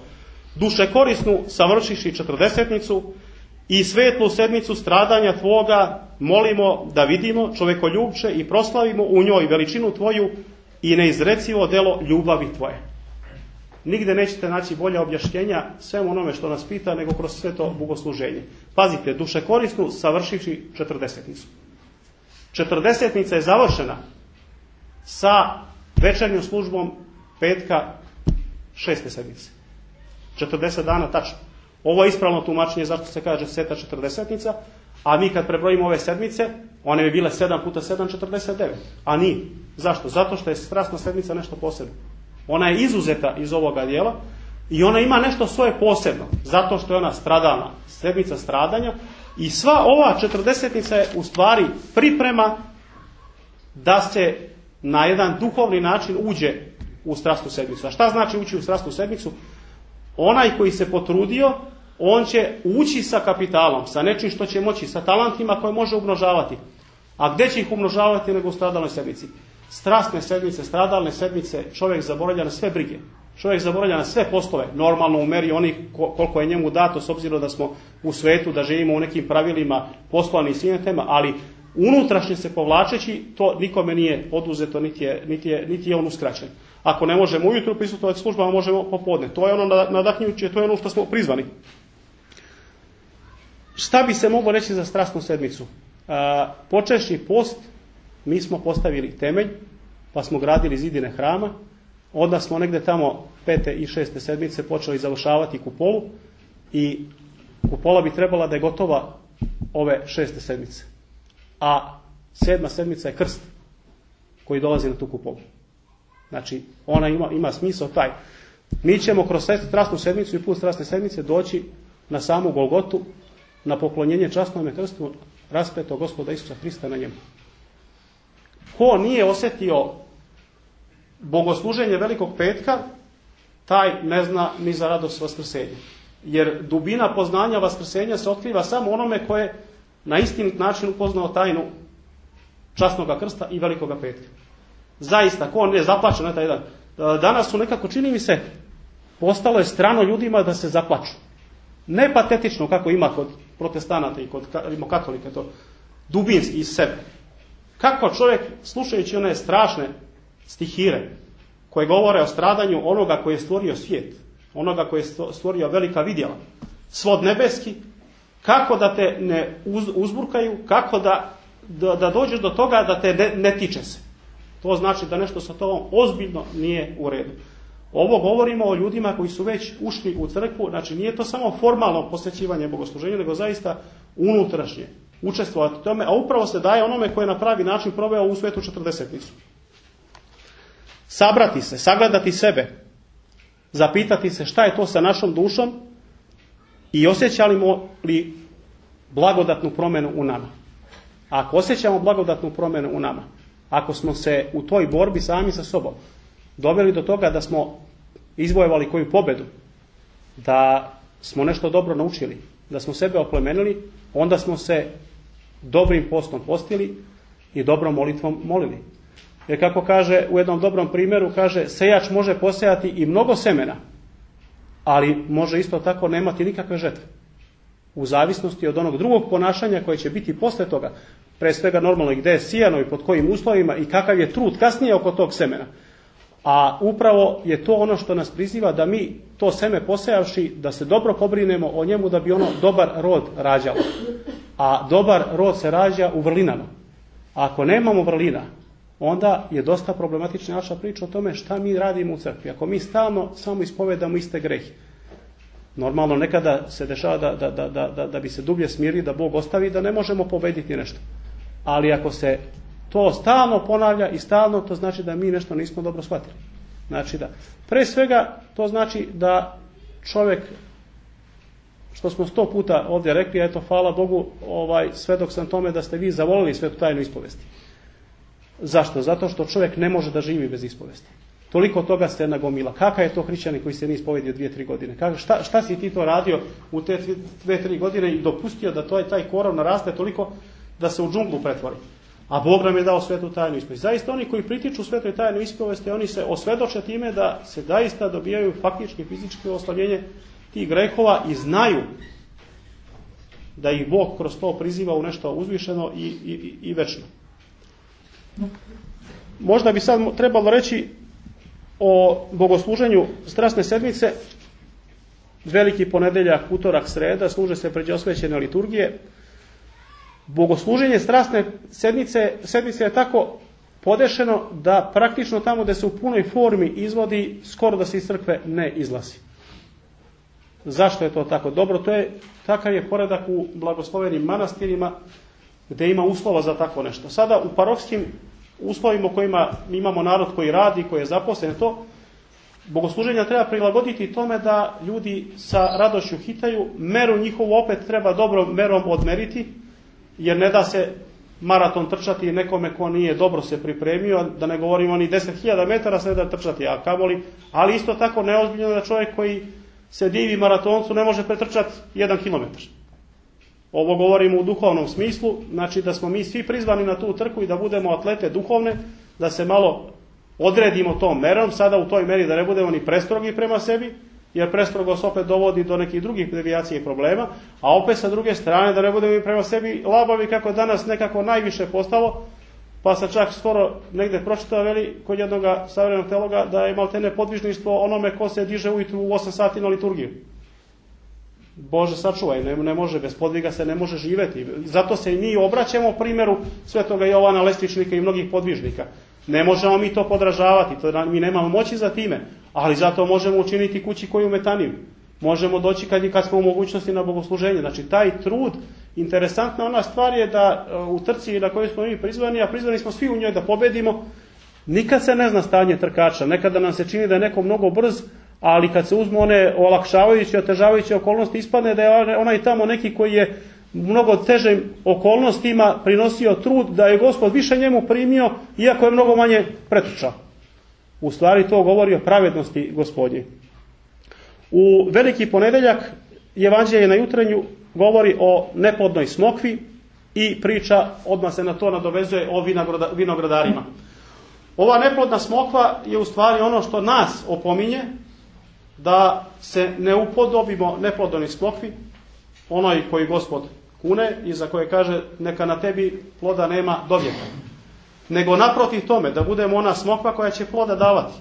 duše korisnu savršiši 40-nicu i svetlu sedmicu stradanja tvoga molimo da vidimo, čovekoljubče, i proslavimo u njoj veličinu tvoju i neizrecivo delo ljubavi tvoje. Nigde nećete naći bolja objašnjenja svemu onome što nas pita nego kroz sve to bogosluženje. Pazite, duše korisnu savršiši 40-nicu. 40-nica je završena sa večernjom službom petka 6. sedmice. 40 dana tačno. Ovo je ispravno tumačenje zašto se kaže seta 40-nica, a mi kad prebrojimo ove sedmice, one bi bile 7 puta 7, 49. A nije. Zašto? Zato što je strasna sedmica nešto posebno. Ona je izuzeta iz ovoga dijela i ona ima nešto svoje posebno. Zato što je ona stradalna, sedmica stradanja, i sva ova 40-nica je u stvari priprema da se na jedan duhovni način uđe u strasnu sedmicu. A šta znači ući u strasnu sedmicu? Onaj koji se potrudio, on će ući sa kapitalom, sa nečim što će moći, sa talentima koje može umnožavati. A gdje će ih umnožavati nego u stradalnoj sedmici? Strasne sedmice, stradalne sedmice, čovjek zaboravlja na sve brige. Čovjek zaboravlja na sve poslove, normalno u meri onih koliko je njemu dato, s obzirom da smo u svetu, da živimo u nekim pravilima poslovni i svim tema, ali unutrašnje se povlačeći, to nikome nije oduzeto, niti je on uskraćen. Ako ne možemo ujutro prisustvovati službama, možemo popodne. To je ono nadahnjuće, to je ono što smo prizvani. Šta bi se moglo reći za strasnu sedmicu? Počešni post, mi smo postavili temelj, pa smo gradili zidine hrama, onda smo negdje tamo 5. i 6. sedmice počeli završavati kupolu i kupola bi trebala da je gotova ove 6. sedmice. A 7. sedmica je krst koji dolazi na tu kupolu. Znači, ona ima smisao taj. Mi ćemo kroz strasnu sedmicu i put strasne sedmice doći na samu Golgotu, na poklonjenje časnome krstu raspetog Gospoda Isusa Hrista na njemu. Ko nije osjetio bogosluženje Velikog petka, taj ne zna ni za radost vaskrsenja. Jer dubina poznanja vaskrsenja se otkriva samo onome koje na istinit način upoznao tajnu časnoga krsta i Velikoga petka. Zaista, ko ne zaplače na taj dan. Danas su nekako, čini mi se, postalo je strano ljudima da se zaplaču. Ne patetično kako ima kod protestanata i kod katolika, to dubinski iz sebe. Kako čovjek, slušajući one strašne stihire koje govore o stradanju onoga koji je stvorio svijet, onoga koji je stvorio velika vidjela, svod nebeski, kako da te ne uzburkaju, kako da dođeš do toga da te ne tiče se. To znači da nešto sa tobom ozbiljno nije u redu. Ovo govorimo o ljudima koji su već ušli u crkvu, znači nije to samo formalno posvećivanje bogosluženju, nego zaista unutrašnje učestvovati u tome, a upravo se daje onome koji je na pravi način proveo u svetu 40-nicu. Sabrati se, sagledati sebe, zapitati se šta je to sa našom dušom i osjećamo li blagodatnu promjenu u nama. Ako osjećamo blagodatnu promjenu u nama, ako smo se u toj borbi sami sa sobom doveli do toga da smo izvojevali koju pobjedu, da smo nešto dobro naučili, da smo sebe oplemenili, onda smo se dobrim postom postili i dobrom molitvom molili. Jer kako kaže u jednom dobrom primjeru, kaže, sejač može posejati i mnogo semena, ali može isto tako nemati nikakve žetve. U zavisnosti od onog drugog ponašanja koje će biti posle toga, pre svega normalno i gdje je sijano i pod kojim uslovima i kakav je trud kasnije oko tog semena. A upravo je to ono što nas priziva da mi to seme posejavši, da se dobro pobrinemo o njemu da bi ono dobar rod rađalo. A dobar rod se rađa u vrlinama. A ako nemamo vrlina, onda je dosta problematična naša priča o tome šta mi radimo u crkvi. Ako mi stalno samo ispovedamo iste grehe. Normalno nekada se dešava da bi se dublje smirili, da Bog ostavi, da ne možemo pobediti nešto. Ali ako se to stalno ponavlja i stalno, to znači da mi nešto nismo dobro shvatili. Znači da, pre svega, to znači da čovjek, što smo 100 puta ovdje rekli, eto, hvala Bogu, svedok sam tome da ste vi zavolili svetu tajnu ispovesti. Zašto? Zato što čovjek ne može da živi bez ispovesti. Toliko toga se nagomila. Kakav je to hrišćanin koji se nije ispovedio 2-3 godine? Šta si ti to radio u te 2-3 godine i dopustio da taj korov naraste toliko da se u džunglu pretvori? A Bog nam je dao svetu tajnu ispovest. Zaista oni koji pritiču svetoj tajnu ispovesti, oni se osvedoče time da se zaista dobijaju faktički fizički oslavljenje tih grehova i znaju da ih Bog kroz to priziva u nešto uzvišeno i večno. Možda bi sad trebalo reći o bogosluženju strasne sedmice. Veliki ponedeljak, utorak, sreda, služe se pređe osvećene liturgije. Bogosluženje strasne sedmice je tako podešeno da praktično tamo gdje se u punoj formi izvodi, skoro da se iz crkve ne izlazi. Zašto je to tako? Dobro, takav je poredak u blagoslovenim manastirima gdje ima uslova za tako nešto. Sada u parohskim uslovima u kojima imamo narod koji radi, koji je zaposlen, to bogosluženja treba prilagoditi tome da ljudi sa radošću hitaju, meru njihovu opet treba dobro merom odmeriti, jer ne da se maraton trčati nekome ko nije dobro se pripremio, da ne govorimo ni 10.000 metara se da trčati, a kamoli, ali isto tako neozbiljno da čovjek koji se divi maratoncu ne može pretrčati 1 kilometar. Ovo govorimo u duhovnom smislu, znači da smo mi svi prizvani na tu trku i da budemo atlete duhovne, da se malo odredimo tom merom, sada u toj meri da ne budemo ni prestrogi prema sebi, jer prestrogost opet dovodi do nekih drugih devijacija i problema, a opet sa druge strane da ne budemo i prema sebi labavi kako danas nekako najviše postalo, pa se čak skoro negdje pročitao kod jednog savremenog teologa da je maltene podvižništvo onome ko se diže ujutru u 8 sati na liturgiju. Bože sačuvaj, ne može, bez podviga se ne može živjeti. Zato se i mi obraćamo primjeru svetoga Jovana Lestičnika i mnogih podvižnika. Ne možemo mi to podražavati, mi nemamo moći za time, ali zato možemo učiniti kući koju metaniju. Možemo doći kad smo u mogućnosti na bogosluženje. Znači taj trud, interesantna ona stvar je da u trci na kojoj smo mi prizvani, a prizvani smo svi u njoj da pobedimo, nikad se ne zna stanje trkača. Nekada nam se čini da je neko mnogo brz, ali kad se uzmu one olakšavajuće, otežavajuće okolnosti, ispadne da je onaj tamo neki koji je mnogo težim okolnostima prinosio trud, da je Gospod više njemu primio, iako je mnogo manje pretrčao. U stvari to govori o pravednosti Gospodnje. U veliki ponedeljak Evanđelje na jutrenju govori o neplodnoj smokvi i priča, odmah se na to nadovezuje, o vinogradarima. Ova neplodna smokva je u stvari ono što nas opominje da se ne upodobimo neplodoni smokvi, onoj koji Gospod kune i za koje kaže neka na tebi ploda nema do vijeka. Nego naprotiv tome, da budemo ona smokva koja će ploda davati.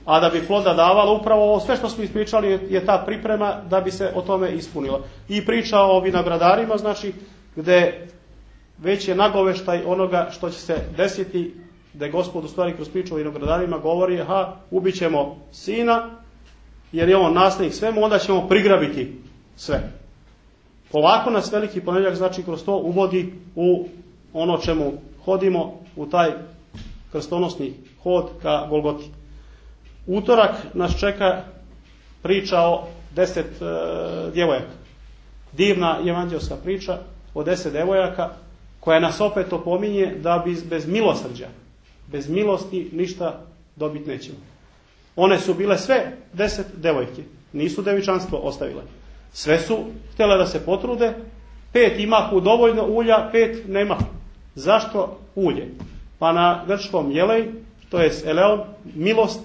A da bi ploda davala, upravo ovo sve što smo ispričali je ta priprema da bi se o tome ispunilo. I priča o vinogradarima, znači, gde već je nagoveštaj onoga što će se desiti, da Gospod u stvari kroz priču o vinogradarima govori, ubit ćemo sina, jer je on nasljednik svemu, onda ćemo prigrabiti sve. Polako nas veliki ponedjeljak, znači, kroz to uvodi u ono čemu hodimo, u taj krstonosni hod ka Golgoti. Utorak nas čeka priča o 10 djevojaka. Divna evanđelska priča o 10 djevojaka koja nas opet opominje da bez milosrđa, bez milosti ništa dobiti nećemo. One su bile sve 10 devojke, nisu devičanstvo ostavile. Sve su htjele da se potrude, 5 imahu dovoljno ulja, 5 nemahu. Zašto ulje? Pa na grčkom jelej, to je eleon, milost,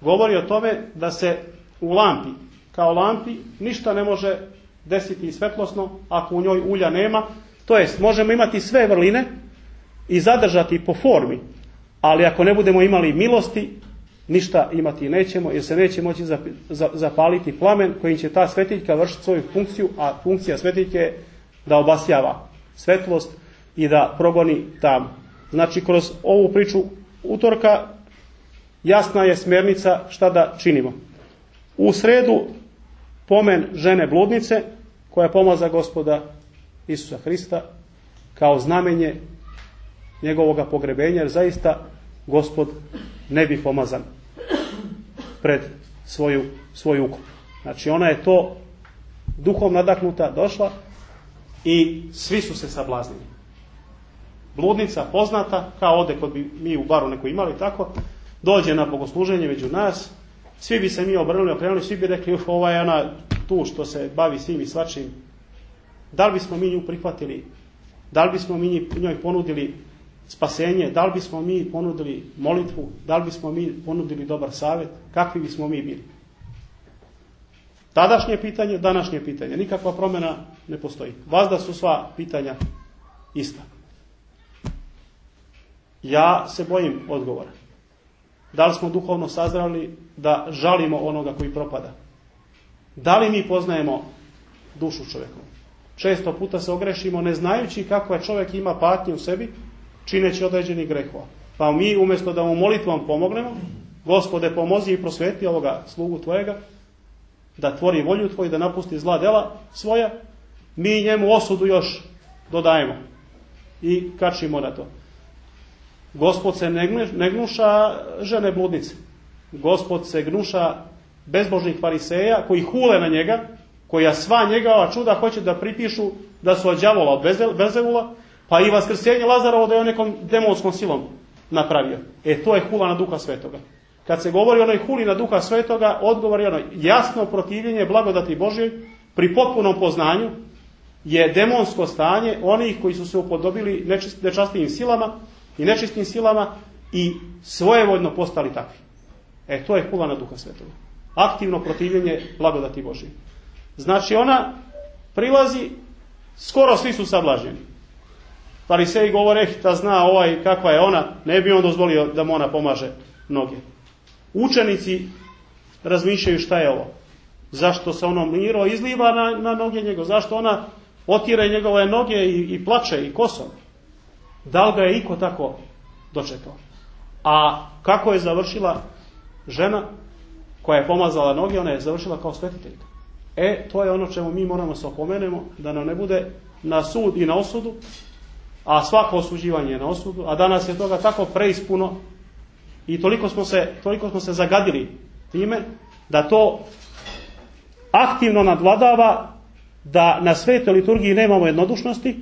govori o tome da se u lampi, kao lampi, ništa ne može desiti svetlosno ako u njoj ulja nema. To jest, možemo imati sve vrline i zadržati po formi, ali ako ne budemo imali milosti, ništa imati nećemo, jer se neće moći zapaliti plamen kojim će ta svetiljka vršiti svoju funkciju, a funkcija svetiljke je da obasjava svetlost i da progoni tam. Znači, kroz ovu priču utorka jasna je smjernica šta da činimo. U sredu pomen žene bludnice koja pomaza Gospoda Isusa Hrista kao znamenje njegovoga pogrebenja, jer zaista Gospod ne bi pomazan pred svoju ukup. Znači, ona je to duhom nadahnuta došla i svi su se sablaznili. Bludnica poznata, kao ovdje kod bi mi u baru neko imali tako, dođe na bogosluženje među nas, svi bi se mi okrenuli, svi bi rekli, ova je ona tu što se bavi svim i svačim. Da li bismo mi nju prihvatili? Da li bismo mi njoj ponudili spasenje? Da li bismo mi ponudili molitvu? Da li bismo mi ponudili dobar savjet? Kakvi bismo mi bili? Tadašnje pitanje, današnje pitanje. Nikakva promjena ne postoji. Vazda su sva pitanja ista. Ja se bojim odgovora. Da li smo duhovno sazrali da žalimo onoga koji propada? Da li mi poznajemo dušu čovjeku? Često puta se ogrešimo ne znajući kako je čovjek ima patnju u sebi, čineći određeni grehova. Pa mi umjesto da mu molitvom pomognemo, Gospode pomozi i prosveti ovoga slugu tvojega, da tvori volju tvoju, da napusti zla dela svoja, mi njemu osudu još dodajemo i kačimo na to. Gospod se ne gnuša žene bludnice. Gospod se gnuša bezbožnih fariseja koji hule na njega, koja sva njegova čuda hoće da pripišu da su od đavola, od Belzebula, pa i vaskrsenje Lazarovo da je on nekom demonskom silom napravio. To je hula na Duha Svetoga. Kad se govori o onoj huli na Duha Svetoga, odgovor je ono jasno protivljenje blagodati Božjoj pri potpunom poznanju je demonsko stanje onih koji su se upodobili nečastivim silama i nečistim silama i svojevoljno postali takvi. To je hula na Duha Svetoga. Aktivno protivljenje blagodati Božje. Znači ona prilazi, skoro svi su sablaženi. Fariseji govore, da zna kakva je ona, ne bi on dozvolio da mu ona pomaže noge. Učenici razmišljaju šta je ovo. Zašto se ono miro izliva na noge njegove? Zašto ona otire njegove noge i plače i kosom? Da li ga je iko tako dočekao? A kako je završila žena koja je pomazala noge? Ona je završila kao svetiteljka. To je ono čemu mi moramo se opomenemo, da nam ne bude na sud i na osudu, a svako osuđivanje je na osudu, a danas je toga tako preispuno i toliko smo se zagadili time da to aktivno nadvladava, da na svetoj liturgiji nemamo jednodušnosti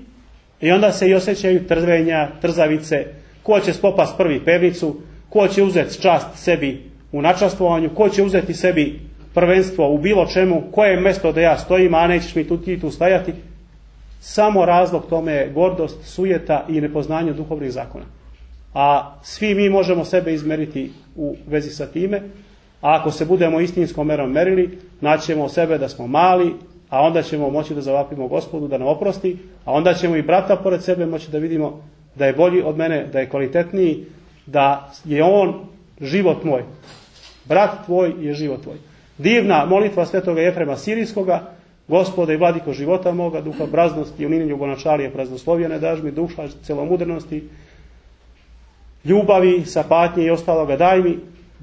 i onda se i osjećaju trvenja, trzavice, ko će spopast prvi pevnicu, ko će uzeti čast sebi u načastvovanju, ko će uzeti sebi prvenstvo u bilo čemu, koje je mjesto da ja stojim, a nećeš mi ti tu stajati. Samo razlog tome je gordost, sujeta i nepoznanje duhovnih zakona. A svi mi možemo sebe izmeriti u vezi sa time. A ako se budemo istinskom merom merili, naćemo sebe da smo mali, a onda ćemo moći da zavapimo Gospodu da nam oprosti, a onda ćemo i brata pored sebe moći da vidimo da je bolji od mene, da je kvalitetniji, da je on život moj. Brat tvoj je život tvoj. Divna molitva svetoga Jefrema Sirijskoga: Gospode i vladiko života moga, duha praznosti i unini ljubonačalije praznoslovljene, daž mi duša celomudrenosti, ljubavi, sapatnje i ostaloga daj mi,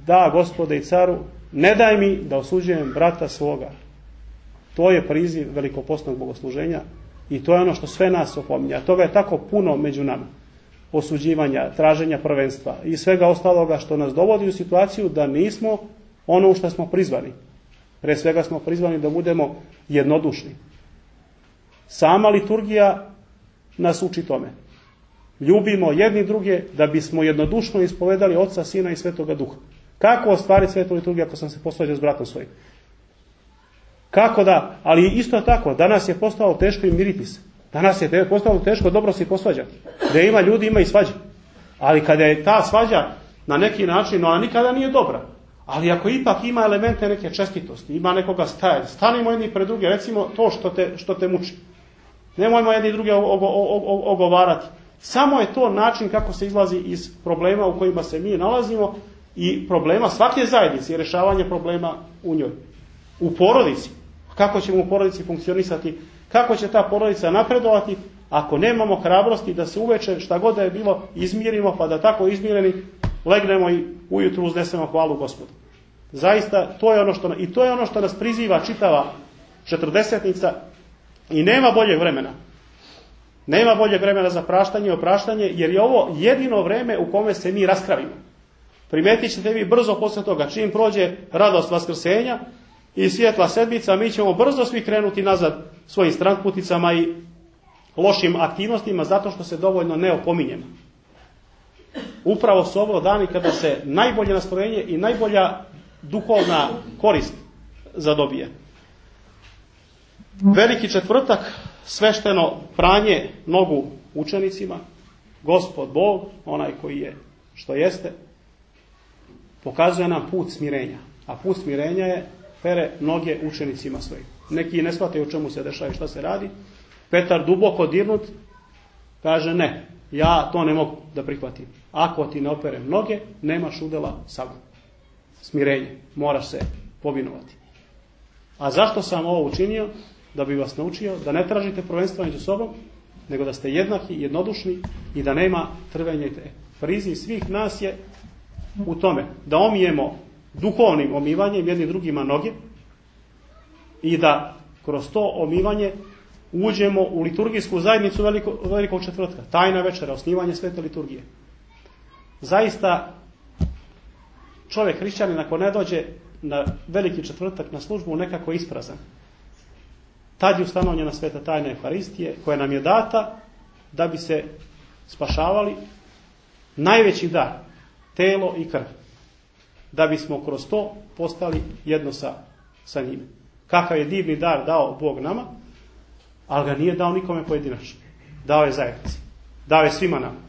da Gospode i caru, ne daj mi da osuđujem brata svoga. To je priziv velikopostnog bogosluženja i to je ono što sve nas opominje. A toga je tako puno među nama. Osuđivanja, traženja prvenstva i svega ostaloga što nas dovodi u situaciju da nismo ono u što smo prizvani. Pre svega smo prizvani da budemo jednodušni. Sama liturgija nas uči tome. Ljubimo jedni druge da bismo jednodušno ispovedali Oca, Sina i Svetoga Duha. Kako ostvariti svetu liturgiju ako sam se posvađao s bratom svojim? Kako da, ali isto tako, danas je postalo teško i miriti se. Danas je postalo teško dobro se posvađati. Da ima ljudi, ima i svađa. Ali kada je ta svađa na neki način, ona nikada nije dobra. Ali ako ipak ima elemente neke čestitosti, ima nekoga stajanja, stanimo jedni pred druge, recimo to što te muči. Nemojmo jedni druge ogovarati. Samo je to način kako se izlazi iz problema u kojima se mi nalazimo i problema svake zajednice i rješavanje problema u njoj. U porodici. Kako ćemo u porodici funkcionisati? Kako će ta porodica napredovati ako nemamo hrabrosti da se uveče šta god da je bilo izmirimo, pa da tako izmireni legnemo i ujutru uznesemo hvalu Gospodu. Zaista to je ono što nas priziva čitava četrdesetnica i nema boljeg vremena. Nema boljeg vremena za praštanje i opraštanje, jer je ovo jedino vreme u kome se mi raskravimo. Primetit ćete vi brzo posle toga, čim prođe radost Vaskrsenja i svjetla sedmica, mi ćemo brzo svi krenuti nazad svojim stranputicama i lošim aktivnostima, zato što se dovoljno ne opominjemo. Upravo su ovo dani kada se najbolje nastrojenje i najbolja duhovna korist zadobije. Veliki četvrtak, svešteno pranje nogu učenicima, Gospod Bog, onaj koji je što jeste, pokazuje nam put smirenja. A put smirenja je pere noge učenicima svojim. Neki ne shvataju o čemu se dešava i šta se radi. Petar, duboko dirnut, kaže: ne, ja to ne mogu da prihvatim. Ako ti ne operem noge, nemaš udjela sa mnom. Smirenje, moraš se povinovati. A zašto sam ovo učinio? Da bi vas naučio da ne tražite prvenstva među sobom, nego da ste jednaki, jednodušni i da nema trvenja i te. Priziv svih nas je u tome da omijemo duhovnim omivanjem jedni drugima noge i da kroz to omivanje uđemo u liturgijsku zajednicu velikog četvrtka. Tajna večera, osnivanje svete liturgije. Zaista čovjek hrišćanin ako ne dođe na veliki četvrtak na službu nekako isprazan. Tad je ustanovljena sveta tajna Euharistije koja nam je data da bi se spašavali, najveći dar, telo i krv. Da bismo kroz to postali jedno sa njime. Kakav je divni dar dao Bog nama, ali ga nije dao nikome pojedinačno. Dao je zajednici. Dao je svima nama.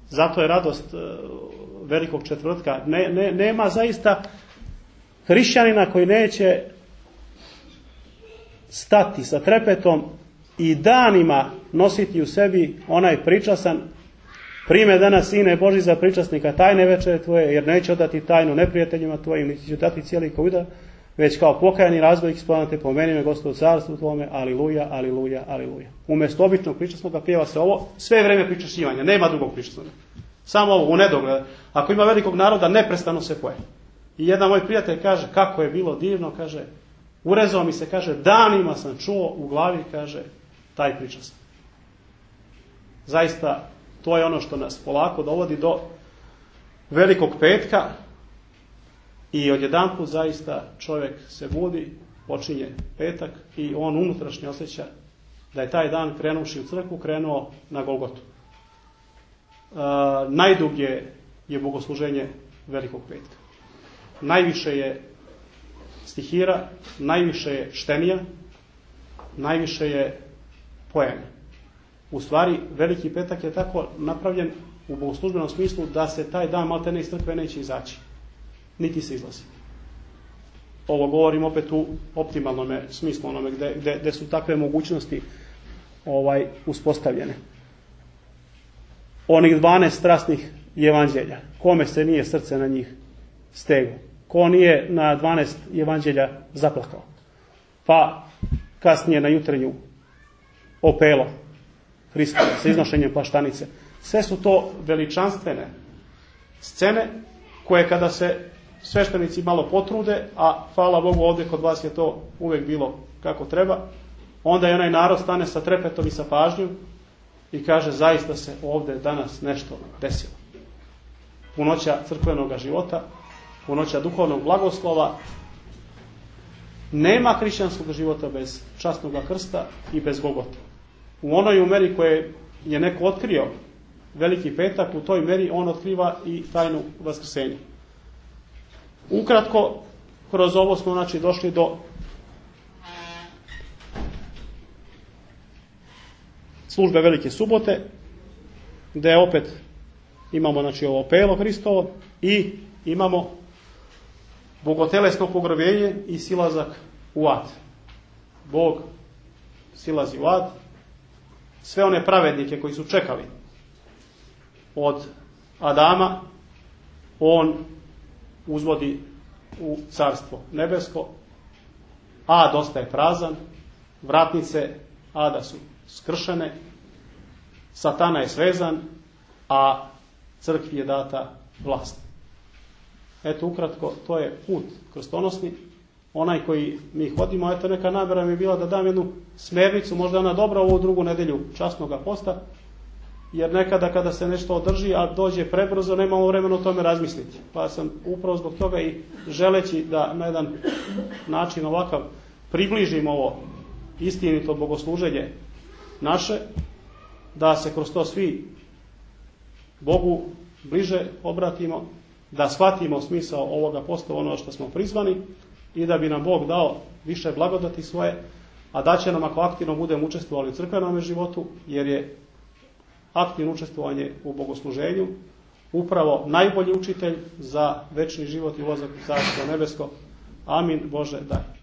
Zato je radost velikog četvrtka. Nema zaista hrišćanina koji neće stati sa trepetom i danima nositi u sebi onaj pričasan: prime danas, Sine Boži, za pričasnika tajne večere tvoje, jer neće odati tajnu neprijateljima tvojim, niti će dati cijeli kuda, već kao pokajani razbojnik spomenute pomeni me Gospodu carstvu tvome, aliluja, aliluja, aliluja. Umjesto običnog pričasnoga pjeva se ovo, sve vrijeme pričašćivanja, nema drugog pričasnoga. Samo ovo, u nedogled. Ako ima velikog naroda, neprestano se poje. I jedan moj prijatelj kaže: kako je bilo divno, kaže, urezao mi se, kaže, danima sam čuo u glavi, kaže, taj pričas. Zaista, to je ono što nas polako dovodi do velikog petka i odjedanput zaista čovjek se budi, počinje petak i on unutrašnje osjeća da je taj dan krenuši u crkvu, krenuo na Golgotu. Najdublje je bogosluženje velikog petka. Najviše je stihira, najviše je štenija, najviše je pojanja. U stvari, veliki petak je tako napravljen u bogoslužbenom smislu da se taj dan maltene iz crkve neće izaći. niti se izlazi. Ovo govorim opet u optimalnom smislu, onome gde su takve mogućnosti uspostavljene. Onih 12 strasnih evanđelja, kome se nije srce na njih steglo? Ko nije na 12 evanđelja zaplakao? Pa kasnije na jutrenju opelo Hrista sa iznošenjem plaštanice. Sve su to veličanstvene scene koje kada se sveštenici malo potrude, a hvala Bogu ovdje kod vas je to uvijek bilo kako treba, onda je onaj narod stane sa trepetom i sa pažnjom i kaže zaista se ovdje danas nešto desilo. Punoća crkvenog života, punoća duhovnog blagoslova. Nema hrišćanskog života bez časnog krsta i bez Golgote. U onoj meri koje je neko otkrio Veliki petak, u toj meri on otkriva i tajnu vaskrsenja. Ukratko, kroz ovo smo došli do službe Velike subote, gdje opet imamo ovo opelo Hristovo i imamo bogotelesno pogrebnje i silazak u ad. Bog silazi u ad. Sve one pravednike koji su čekali od Adama, on uzvodi u carstvo nebesko. Ad ostaje prazan, vratnice ada su skršene, Satana je svezan, a crkvi je data vlast. Eto, ukratko, to je put krstonosni, onaj koji mi hodimo. Eto, neka namjera mi je bila da dam jednu smernicu, možda ona dobra ovu drugu nedelju časnoga posta, jer nekada kada se nešto održi, a dođe prebrzo, nemamo vremena o tome razmisliti. Pa sam upravo zbog toga i želeći da na jedan način ovakav približim ovo istinito bogosluženje naše, da se kroz to svi Bogu bliže obratimo, da shvatimo smisao ovoga posta, ono što smo prizvani, i da bi nam Bog dao više blagodati svoje, a da će nam ako aktivno budemo učestvovali u crkvenom životu, jer je aktivno učestvovanje u bogosluženju upravo najbolji učitelj za večni život i ulazak u Carstvo nebesko. Amin. Bože, daj.